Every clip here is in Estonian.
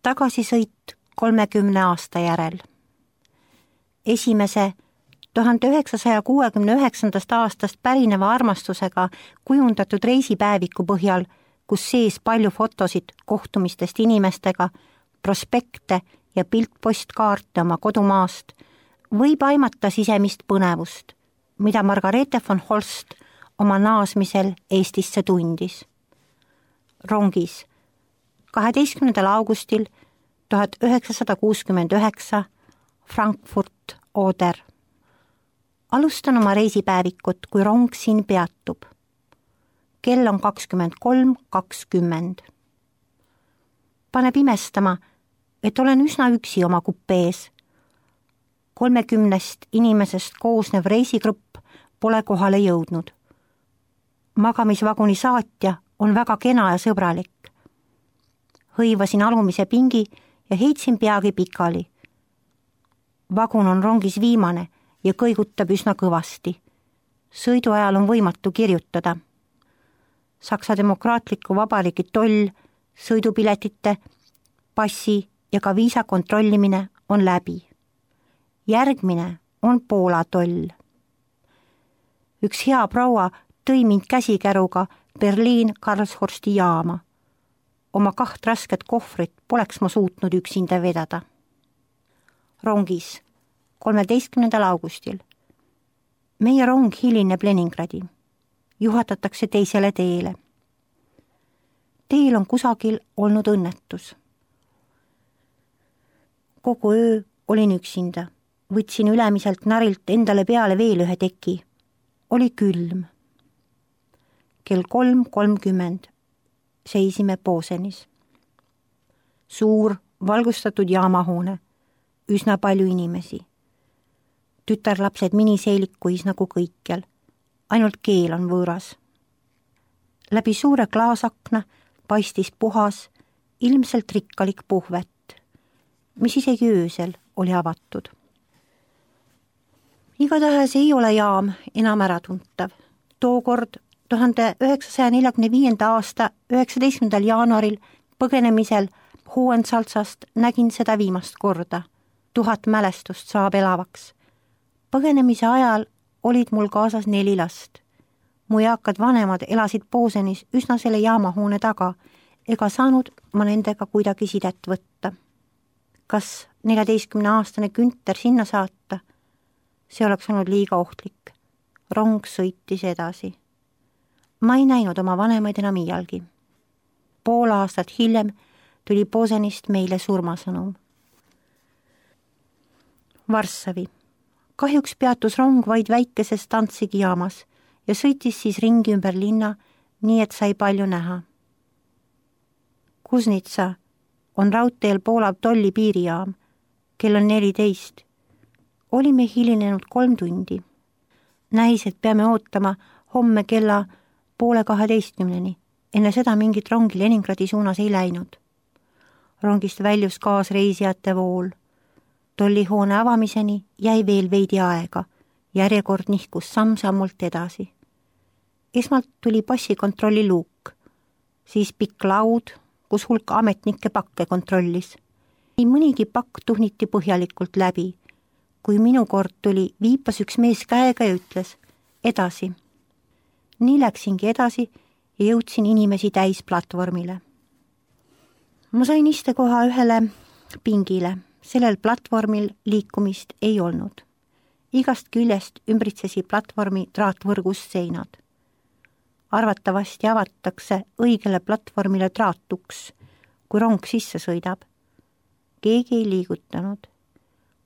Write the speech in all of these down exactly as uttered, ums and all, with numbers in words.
Tagasisõit kolmekümne aasta järel. Esimese tuhande üheksasaja kuuekümne üheksandast aastast pärineva armastusega kujundatud reisipäeviku põhjal, kus sees palju fotosid kohtumistest inimestega, prospekte ja piltpostkaarte oma kodumaast, võib aimata sisemist põnevust, mida Margareete von Holst oma naasmisel Eestisse tundis. Rongis kaheteistkümnendal augustil tuhat üheksasada kuuskümmend üheksa Frankfurt Oder. Alustan oma reisipäevikut, kui rong siin peatub. Kell on kakskümmend kolm kakskümmend. Paneb imestama, et olen üsna üksi oma kupees. Kolmekümnest inimesest koosnev reisigrupp pole kohale jõudnud. Magamisvaguni saatja on väga kena ja sõbralik. Hõivasin alumise pingi ja heitsin peagi pikali. Vagun on rongis viimane ja kõigutab üsna kõvasti. Sõidu ajal on võimatu kirjutada. Saksa Demokraatliku Vabariigi toll, sõidupiletite, passi ja ka viisa kontrollimine on läbi. Järgmine on Poola toll. Üks hea proua tõi mind käsikäruga Berliin Karlshorsti jaama. Oma kaht rasket kohvrit poleks ma suutnud üksinda vedada. Rongis kolmeteistkümnendal augustil. Meie rong hilineb Leningradi. Juhatatakse teisele teele. Teel on kusagil olnud õnnetus. Kogu öö olin üksinda. Võtsin ülemiselt narilt endale peale veel ühe teki. Oli külm. Kell kolm kolmkümmend seisime Posenis. Suur, valgustatud jaamahoone. Üsna palju inimesi. Tütarlapsed miniseelikuis nagu kõikjal. Ainult keel on võõras. Läbi suure klaasakna paistis puhas, ilmselt rikkalik puhvet, mis isegi öösel oli avatud. Igatahes ei ole jaam enam äratuntav. Tookord tuhande üheksasaja neljakümne viienda aasta üheksateistkümnendal jaanuaril põgenemisel Hohensalzast nägin seda viimast korda. Tuhat mälestust saab elavaks. Põgenemise ajal olid mul kaasas neli last. Mu eakad vanemad elasid Posenis üsna selle jaamahoone taga, ega saanud ma nendega kuidagi sidet võtta. Kas neljateistkümneaastane Günther sinna saata? See oleks olnud liiga ohtlik. Rong sõitis edasi. Ma ei näinud oma vanemaid enam iialgi. Pool aastat hiljem tuli Posenist meile surmasõnum. Varssavi. Kahjuks peatus rong vaid väikeses Danzigi jaamas ja sõitis siis ringi ümber linna, nii et sai palju näha. Kuznitsa on raudteel Poola tolli piirijaam. Kell on neliteist. Olime hilinenud kolm tundi. Näis, et peame ootama homme kella poole kaheteistkümneni. Enne seda mingit rongi Leningradi suunas ei läinud. Rongist väljus kaasreisijate vool. Tollihoone avamiseni jäi veel veidi aega. Järjekord nihkus samm-sammult edasi. Esmalt tuli passikontrolli luuk, siis pikk laud, kus hulk ametnikke pakke kontrollis. Nii mõnigi pakk tuhniti põhjalikult läbi. Kui minu kord tuli, viipas üks mees käega ja ütles edasi. Nii läksingi edasi ja jõudsin inimesi täis platvormile. Ma sain istekoha ühele pingile. Sellel platvormil liikumist ei olnud. Igast küljest ümbritsesi platvormi traatvõrgust seinad. Arvatavasti avatakse õigele platvormile traatuks, kui rong sisse sõidab. Keegi ei liigutanud.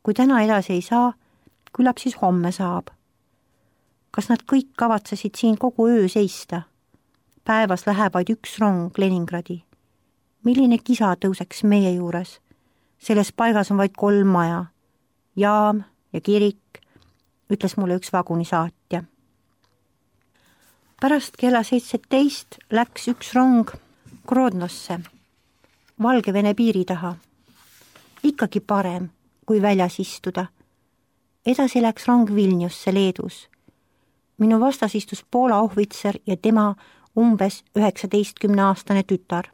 Kui täna edasi ei saa, küllap siis homme saab. Kas nad kõik kavatsesid siin kogu öö seista? Päevas läheb vaid üks rong Leningradi. Milline kisa tõuseks meie juures? Selles paigas on vaid kolm maja. Jaam ja kirik, ütles mulle üks vagunisaatja. Pärast kella seitseteist läks üks rong Grodnosse, Valgevene piiri taha. Ikkagi parem, kui väljas istuda. Edasi läks rong Vilniusse Leedus. Minu vastas istus Poola ohvitser ja tema umbes üheksateistkümneaastane tütar.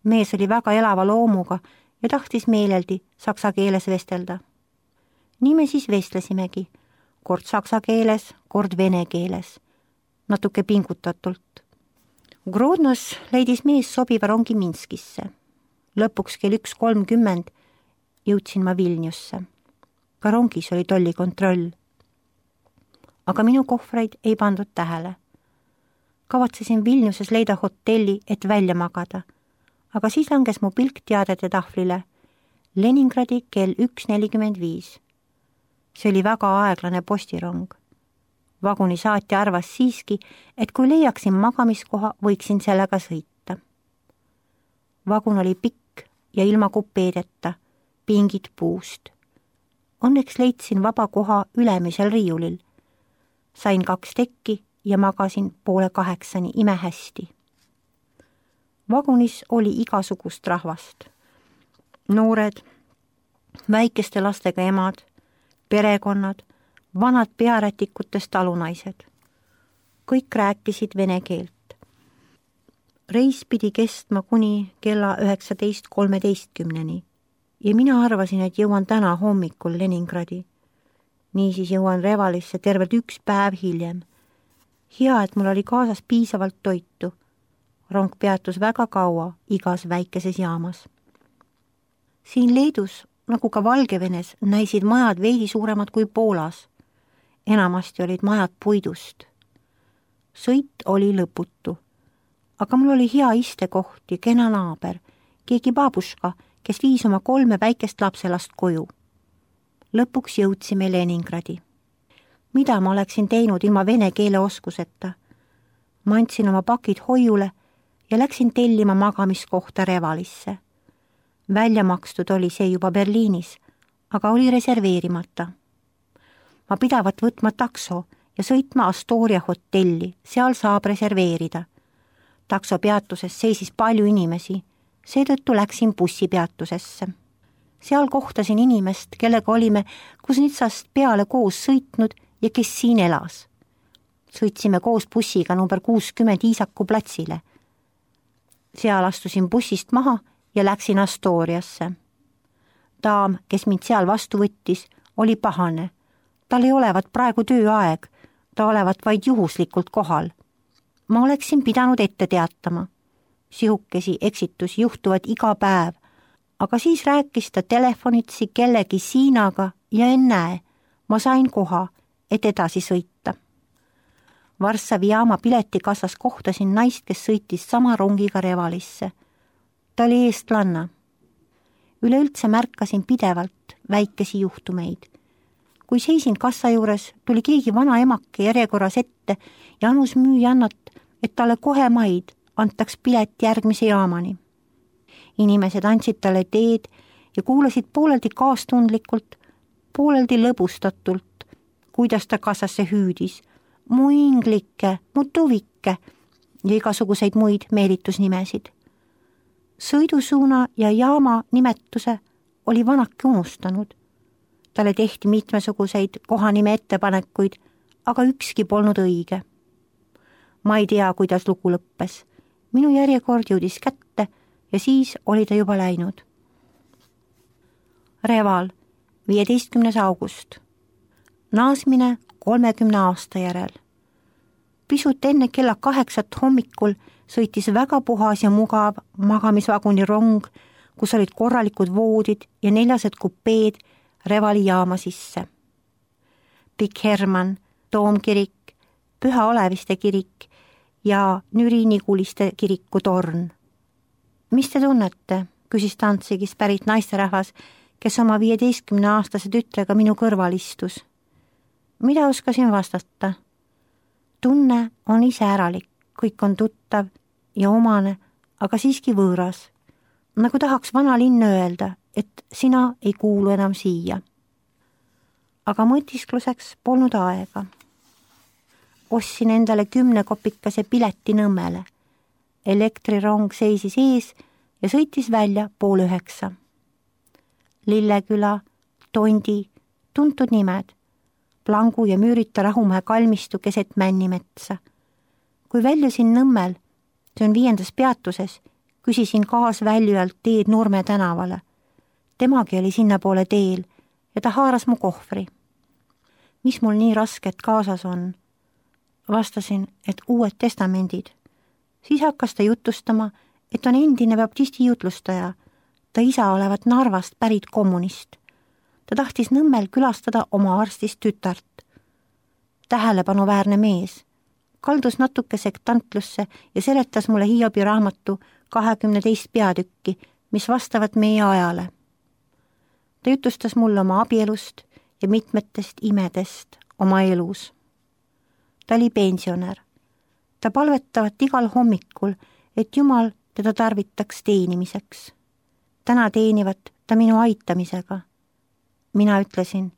mees oli väga elava loomuga ja tahtis meeleldi saksa keeles vestelda. nii me siis vestlesimegi, kord saksa keeles, kord vene keeles, natuke pingutatult. Grodnos leidis mees sobiva rongi Minskisse. Lõpuks kell üks kolmkümmend jõudsin ma Vilniusse. Ka rongis oli tollikontroll. Aga minu kohvreid ei pandud tähele. Kavatsesin Vilniuses leida hotelli, et välja magada, aga siis langes mu pilk teadete tahvlile. Leningradi kell üks nelikümmend viis. See oli väga aeglane postirong. Vaguni saatja arvas siiski, et kui leiaksin magamiskoha, võiksin sellega sõita. Vagun oli pikk ja ilma kupeedeta, pingid puust. Õnneks leidsin vaba koha ülemisel riiulil. Sain kaks tekki ja magasin poole kaheksani imehästi. Vagunis oli igasugust rahvast. Noored, väikeste lastega emad, perekonnad, vanad pearätikutest talunaised. Kõik rääkisid vene keelt. Reis pidi kestma kuni kella üheksateist kolmeteistkümneni ja mina arvasin, et jõuan täna hommikul Leningradi. Niisiis jõuan Revalisse tervelt üks päev hiljem. Hea, et mul oli kaasas piisavalt toitu. Rong peatus väga kaua igas väikeses jaamas. Siin Leedus, nagu ka Valgevenes, näisid majad veidi suuremad kui Poolas. Enamasti olid majad puidust. Sõit oli lõputu, aga mul oli hea istekoht ja kena naaber, keegi baabuška, kes viis oma kolme väikest lapselast koju. Lõpuks jõudsime Leningradi. Mida ma oleksin teinud ilma vene keele oskuseta? Ma andsin oma pakid hoiule ja läksin tellima magamiskohta Revalisse. Välja makstud oli see juba Berliinis, aga oli reserveerimata. Ma pidavat võtma takso ja sõitma Astoria hotelli, seal saab reserveerida. Takso peatuses seisis palju inimesi, seetõttu läksin bussipeatusesse. Seal kohtasin inimest, kellega olime Kuznitsast peale koos sõitnud ja kes siin elas. Sõitsime koos bussiga number kuuskümmend Iisaku platsile. Seal astusin bussist maha ja läksin Astoriasse. Daam, kes mind seal vastu võttis, oli pahane. Tal ei olevat praegu tööaeg, ta olevat vaid juhuslikult kohal. Ma oleksin pidanud ette teatama. Sihukesi eksitusi juhtuvad iga päev, aga siis rääkis ta telefonitsi kellegi Siinaga ja ennäe, ma sain koha, et edasi sõita. Varssavi jaama piletikassas kohtasin naist, kes sõitis sama rongiga Revalisse. Ta oli eestlanna. Üleüldse märkasin pidevalt väikesi juhtumeid. Kui seisin kassa juures, tuli keegi vana emake järjekorras ette ja anus müüjannat, et talle kohe maid antaks pilet järgmise jaamani. Inimesed andsid talle teed ja kuulasid pooleldi kaastundlikult, pooleldi lõbustatult, kuidas ta kassasse hüüdis, mu inglike, mu tuvikke ja igasuguseid muid meelitusnimesid. Sõidusuuna ja jaama nimetuse oli vanake unustanud. Talle tehti mitmesuguseid kohanime ettepanekuid, aga ükski polnud õige. Ma ei tea, kuidas lugu lõppes. Minu järjekord jõudis kätte ja siis oli ta juba läinud. Reval, viieteistkümnes august. Naasmine kolmekümne aasta järel. Pisut enne kella kaheksat hommikul sõitis väga puhas ja mugav magamisvaguni rong, kus olid korralikud voodid ja neljased kupeed Revali jaama sisse. Pikk Hermann, Toomkirik, Püha Oleviste kirik ja Nüri-Niguliste kiriku torn. Mis te tunnete, küsis Tantsigist pärit naisterahvas, kes oma viieteistkümne aastase tütrega minu kõrval istus. Mida oskasin vastata? Tunne on iseäralik, kõik on tuttav ja omane, aga siiski võõras. Nagu tahaks vana linn öelda, et sina ei kuulu enam siia. Aga mõtiskluseks polnud aega. Ostsin endale kümne kopikase pileti Nõmmele. Elektrirong seisis ees ja sõitis välja pool üheksa. Lilleküla, Tondi, tuntud nimed, Plangu ja Müürita Rahumäe kalmistu keset Männimetsa. Kui väljusin Nõmmel, see on viiendas peatuses, küsisin kaasväljujalt teed Nurme tänavale. Temagi oli sinnapoole teel ja ta haaras mu kohvri. Mis mul nii rasket kaasas on? Vastasin, et uued testamendid. Siis hakkas ta jutustama, et on endine baptisti jutlustaja, ta isa olevat Narvast pärit kommunist. Ta tahtis Nõmmel külastada oma arstist tütart. Tähelepanuväärne mees. Kaldus natuke sektantlusse ja seletas mulle Hiobi raamatu kahekümne teist peatükki, mis vastavad meie ajale. Ta jutustas mulle oma abielust ja mitmetest imedest oma elus. Ta oli pensionär. Ta palvetavat igal hommikul, et Jumal teda tarvitaks teenimiseks. Täna teenivat ta minu aitamisega. Mina ütlesin,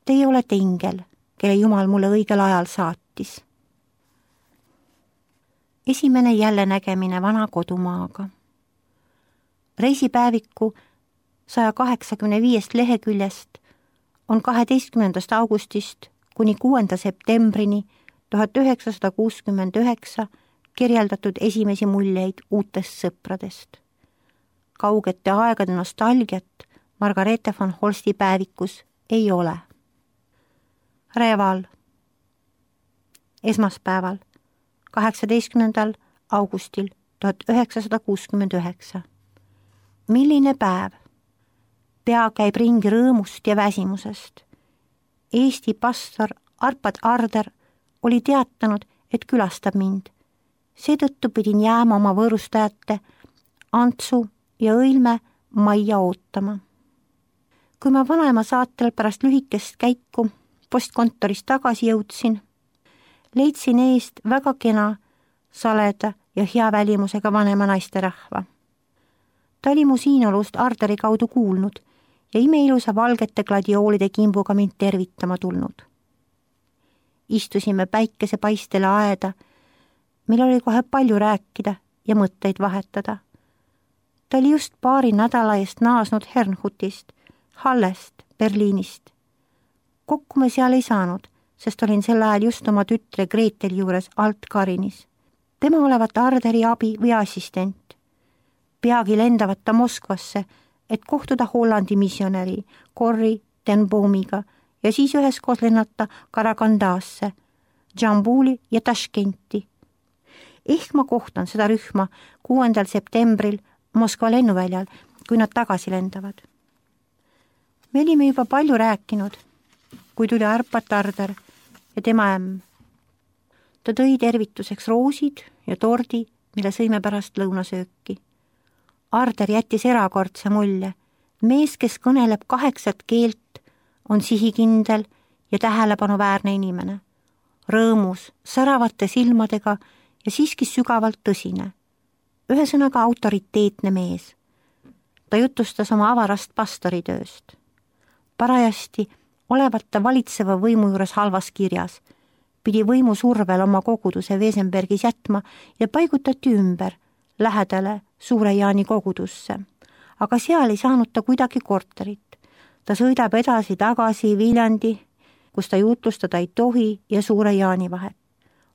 teie olete ingel, kelle Jumal mulle õigel ajal saatis. Esimene jälle nägemine vana kodumaaga. Reisipäeviku saja kaheksakümne viiest leheküljest on kaheteistkümnendast augustist kuni kuuenda septembrini tuhat üheksasada kuuskümmend üheksa kirjeldatud esimesi muljeid uutest sõpradest. Kaugete aegade nostalgiat Margarethe von Holsti päevikus ei ole. Reval. Esmaspäeval, kaheksateistkümnendal augustil tuhat üheksasada kuuskümmend üheksa. Milline päev? Pea käib ringi rõõmust ja väsimusest. Eesti pastor Arpad Arder oli teatanud, et külastab mind. Seetõttu pidin jääma oma võõrustajate Antsu ja Õilme majja ootama. Kui ma vanaema saatel pärast lühikest käiku postkontorist tagasi jõudsin, leidsin eest väga kena, saleda ja hea välimusega vanema naisterahva. Ta oli mu siinolust Arderi kaudu kuulnud ja imeilusa valgete gladioolide kimbuga mind tervitama tulnud. Istusime päikesepaistele aeda, meil oli kohe palju rääkida ja mõtteid vahetada. Ta oli just paari nädala eest naasnud Hernhutist, Hallest, Berliinist. Kokku me seal ei saanud, sest olin sel ajal just oma tütre Gretel juures Alt-Karinis. Tema olevat Arderi abi või assistent. Peagi lendavat ta Moskvasse, et kohtuda Hollandi missionäri Corrie ten Boomiga ja siis üheskoos lennata Karagandasse, Džambuli ja Taškenti. Ehk ma kohtan seda rühma kuuendal septembril Moskva lennuväljal, kui nad tagasi lendavad. Me olime juba palju rääkinud, kui tuli Arpad Arder ja tema ämm. Ta tõi tervituseks roosid ja tordi, mille sõime pärast lõunasööki. Arder jättis erakordse mulje. Mees, kes kõneleb kaheksat keelt, on sihikindel ja tähelepanuväärne inimene. Rõõmus, säravate silmadega ja siiski sügavalt tõsine. Ühesõnaga autoriteetne mees. Ta jutustas oma avarast pastoritööst. Parajasti olevat ta valitseva võimu juures halvas kirjas. Pidi võimu survel oma koguduse Wesenbergis jätma ja paigutati ümber lähedale Suure Jaani kogudusse. Aga seal ei saanud ta kuidagi korterit. Ta sõidab edasi tagasi Viljandi, kus ta jutlustada ei tohi ja Suure Jaani vahet.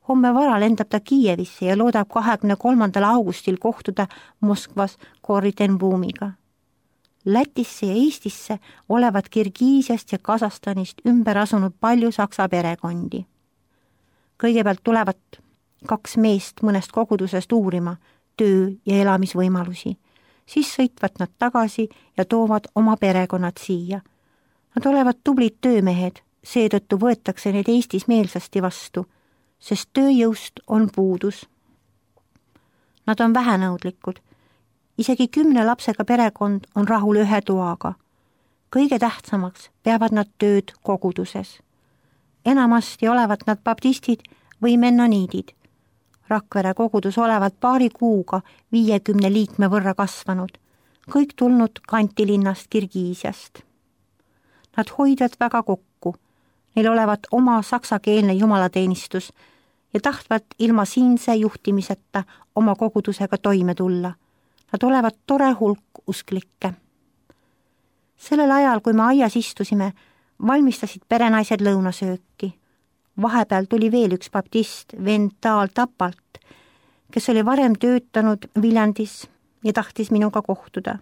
Homme vara lendab ta Kiievisse ja loodab kahekümne kolmandal augustil kohtuda Moskvas Corrie ten Boomiga. Lätisse ja Eestisse olevat Kirgiisiast ja Kasahstanist ümber asunud palju saksa perekondi. Kõigepealt tulevad kaks meest mõnest kogudusest uurima töö- ja elamisvõimalusi. Siis sõitvad nad tagasi ja toovad oma perekonnad siia. Nad olevat tublid töömehed, seetõttu võetakse neid Eestis meelsasti vastu, sest tööjõust on puudus. Nad on vähenõudlikud. Isegi kümne lapsega perekond on rahul ühe toaga. Kõige tähtsamaks peavad nad tööd koguduses. Enamasti olevat nad baptistid või mennoniidid. Rakvere kogudus olevat paari kuuga viiekümne liikme võrra kasvanud, kõik tulnud kantilinnast Kirgiisiast. Nad hoidvad väga kokku, neil olevat oma saksakeelne jumalateenistus ja tahtvat ilma siinse juhtimiseta oma kogudusega toime tulla. Nad olevat tore hulk usklikke. Sellel ajal, kui me aias istusime, valmistasid perenaised lõunasööki. Vahepeal tuli veel üks baptist, vend Taal Tapalt, kes oli varem töötanud Viljandis ja tahtis minuga kohtuda.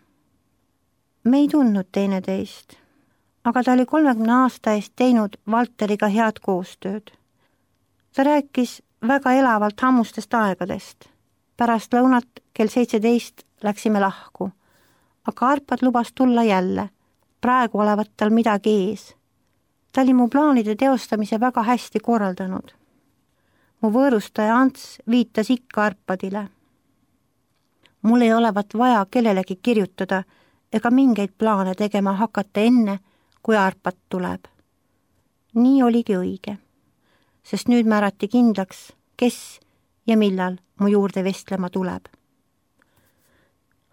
Me ei tundnud teineteist, aga ta oli kolmekümne aasta eest teinud Valteriga head koostööd. Ta rääkis väga elavalt hammustest aegadest. Pärast lõunat kell seitseteist läksime lahku, aga Arpad lubas tulla jälle. Praegu olevat tal midagi ees. Ta oli mu plaanide teostamise väga hästi korraldanud. Mu võõrustaja Ants viitas ikka Arpadile. Mul ei olevat vaja kellelegi kirjutada ega mingeid plaane tegema hakata enne, kui Arpad tuleb. Nii oligi õige, sest nüüd määrati kindlaks, kes ja millal mu juurde vestlema tuleb.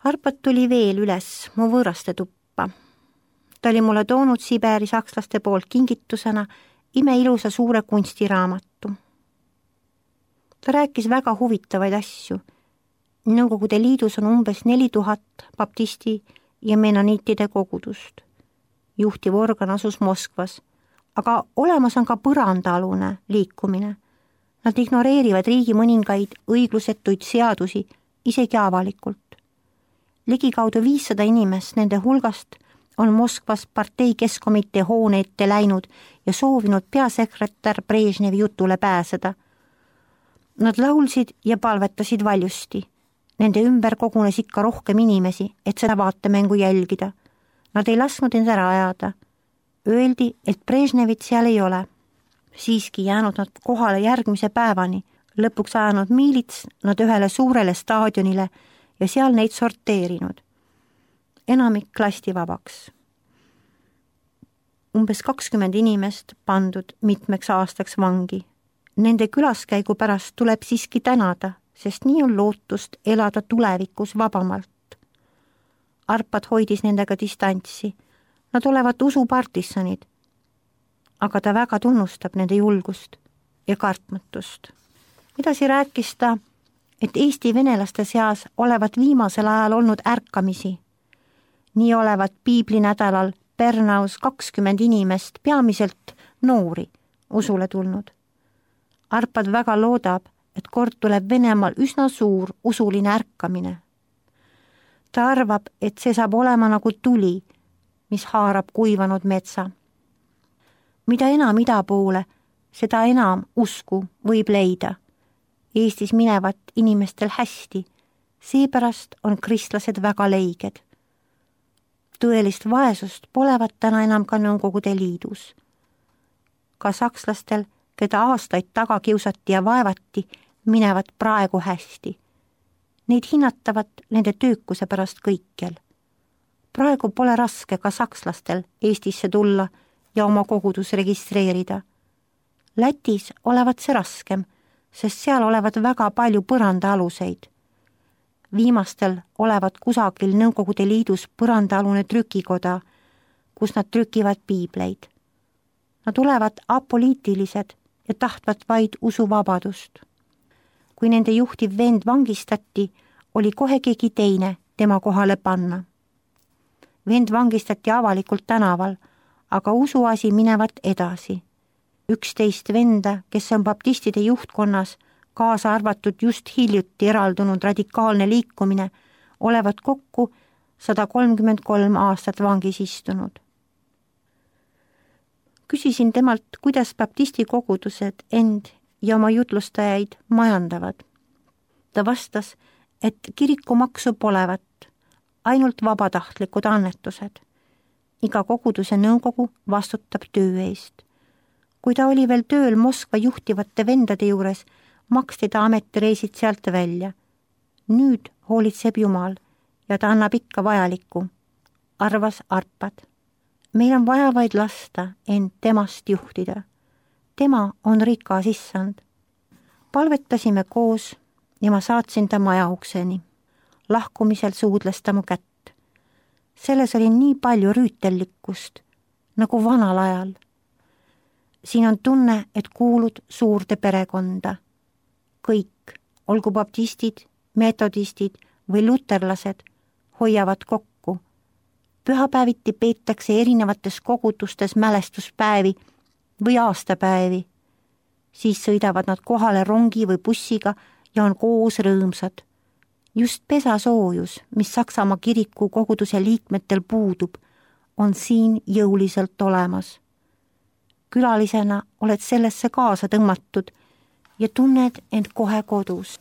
Arpad tuli veel üles mu võõraste tuppa. Ta oli mulle toonud Siberi sakslaste poolt kingitusena imeilusa suure kunstiraamatu. Ta rääkis väga huvitavaid asju. Nõukogude Liidus on umbes neli tuhat baptisti ja menoniitide kogudust. Juhtiv organ asus Moskvas, aga olemas on ka põrandaalune liikumine. Nad ignoreerivad riigi mõningaid õiglusetuid seadusi isegi avalikult. Ligikaudu viissada inimest nende hulgast on Moskvas partei keskkomitee hoone ette läinud ja soovinud peasekretär Brežnevi jutule pääseda. Nad laulsid ja palvetasid valjusti. Nende ümber kogunes ikka rohkem inimesi, et seda vaatemängu jälgida. Nad ei lasknud end ära ajada. Öeldi, et Brežnevit seal ei ole. Siiski jäänud nad kohale järgmise päevani, lõpuks ajanud miilits nad ühele suurele staadionile ja seal neid sorteerinud. Enamik lasti vabaks. Umbes kakskümmend inimest pandud mitmeks aastaks vangi. Nende külaskäigu pärast tuleb siiski tänada, sest nii on lootust elada tulevikus vabamalt. Arpad hoidis nendega distantsi. Nad olevat usupartisanid, aga ta väga tunnustab nende julgust ja kartmatust. Edasi rääkis ta, et Eesti venelaste seas olevat viimasel ajal olnud ärkamisi. Nii olevat piiblinädalal Pernaus kakskümmend inimest, peamiselt noori, usule tulnud. Arpad väga loodab, et kord tuleb Venemaal üsna suur usuline ärkamine. Ta arvab, et see saab olema nagu tuli, mis haarab kuivanud metsa. Mida enam ida poole, seda enam usku võib leida. Eestis minevat inimestel hästi, seepärast on kristlased väga leiged. Tõelist vaesust polevat täna enam ka Nõukogude Liidus. Ka sakslastel, keda aastaid taga kiusati ja vaevati, minevad praegu hästi. Neid hinnatavat nende töökuse pärast kõikjal. Praegu pole raske ka sakslastel Eestisse tulla ja oma kogudus registreerida. Lätis olevat see raskem, sest seal olevat väga palju põrandaaluseid. Viimastel olevat kusagil Nõukogude Liidus põrandaalune trükikoda, kus nad trükivad piibleid. Nad olevat apoliitilised ja tahtvat vaid usuvabadust. Kui nende juhtiv vend vangistati, oli kohe keegi teine tema kohale panna. Vend vangistati avalikult tänaval, aga usuasi minevat edasi. Üksteist venda, kes on baptistide juhtkonnas, kaasa arvatud just hiljuti eraldunud radikaalne liikumine, olevat kokku sada kolmkümmend kolm aastat vangis istunud. Küsisin temalt, kuidas baptisti kogudused end ja oma jutlustajaid majandavad. Ta vastas, et kirikumaksu polevat, ainult vabatahtlikud annetused. Iga koguduse nõukogu vastutab töö eest. Kui ta oli veel tööl Moskva juhtivate vendade juures, maksti ta ametireisid sealt välja. Nüüd hoolitseb Jumal ja ta annab ikka vajalikku, arvas Arpad. Meil on vaja vaid lasta end temast juhtida. Tema on rikas issand. Palvetasime koos ja ma saatsin ta maja ukseni. Lahkumisel suudles ta mu kätt. Selles oli nii palju rüütellikkust, nagu vanal ajal. Siin on tunne, et kuulud suurde perekonda. Kõik, olgu baptistid, metodistid või luterlased, hoiavad kokku. Pühapäeviti peetakse erinevates kogudustes mälestuspäevi või aastapäevi. Siis sõidavad nad kohale rongi või bussiga ja on koos rõõmsad. just pesasoojus, mis Saksamaa kiriku koguduse liikmetel puudub, on siin jõuliselt olemas. Külalisena oled sellesse kaasa tõmmatud ja tunned end kohe kodus.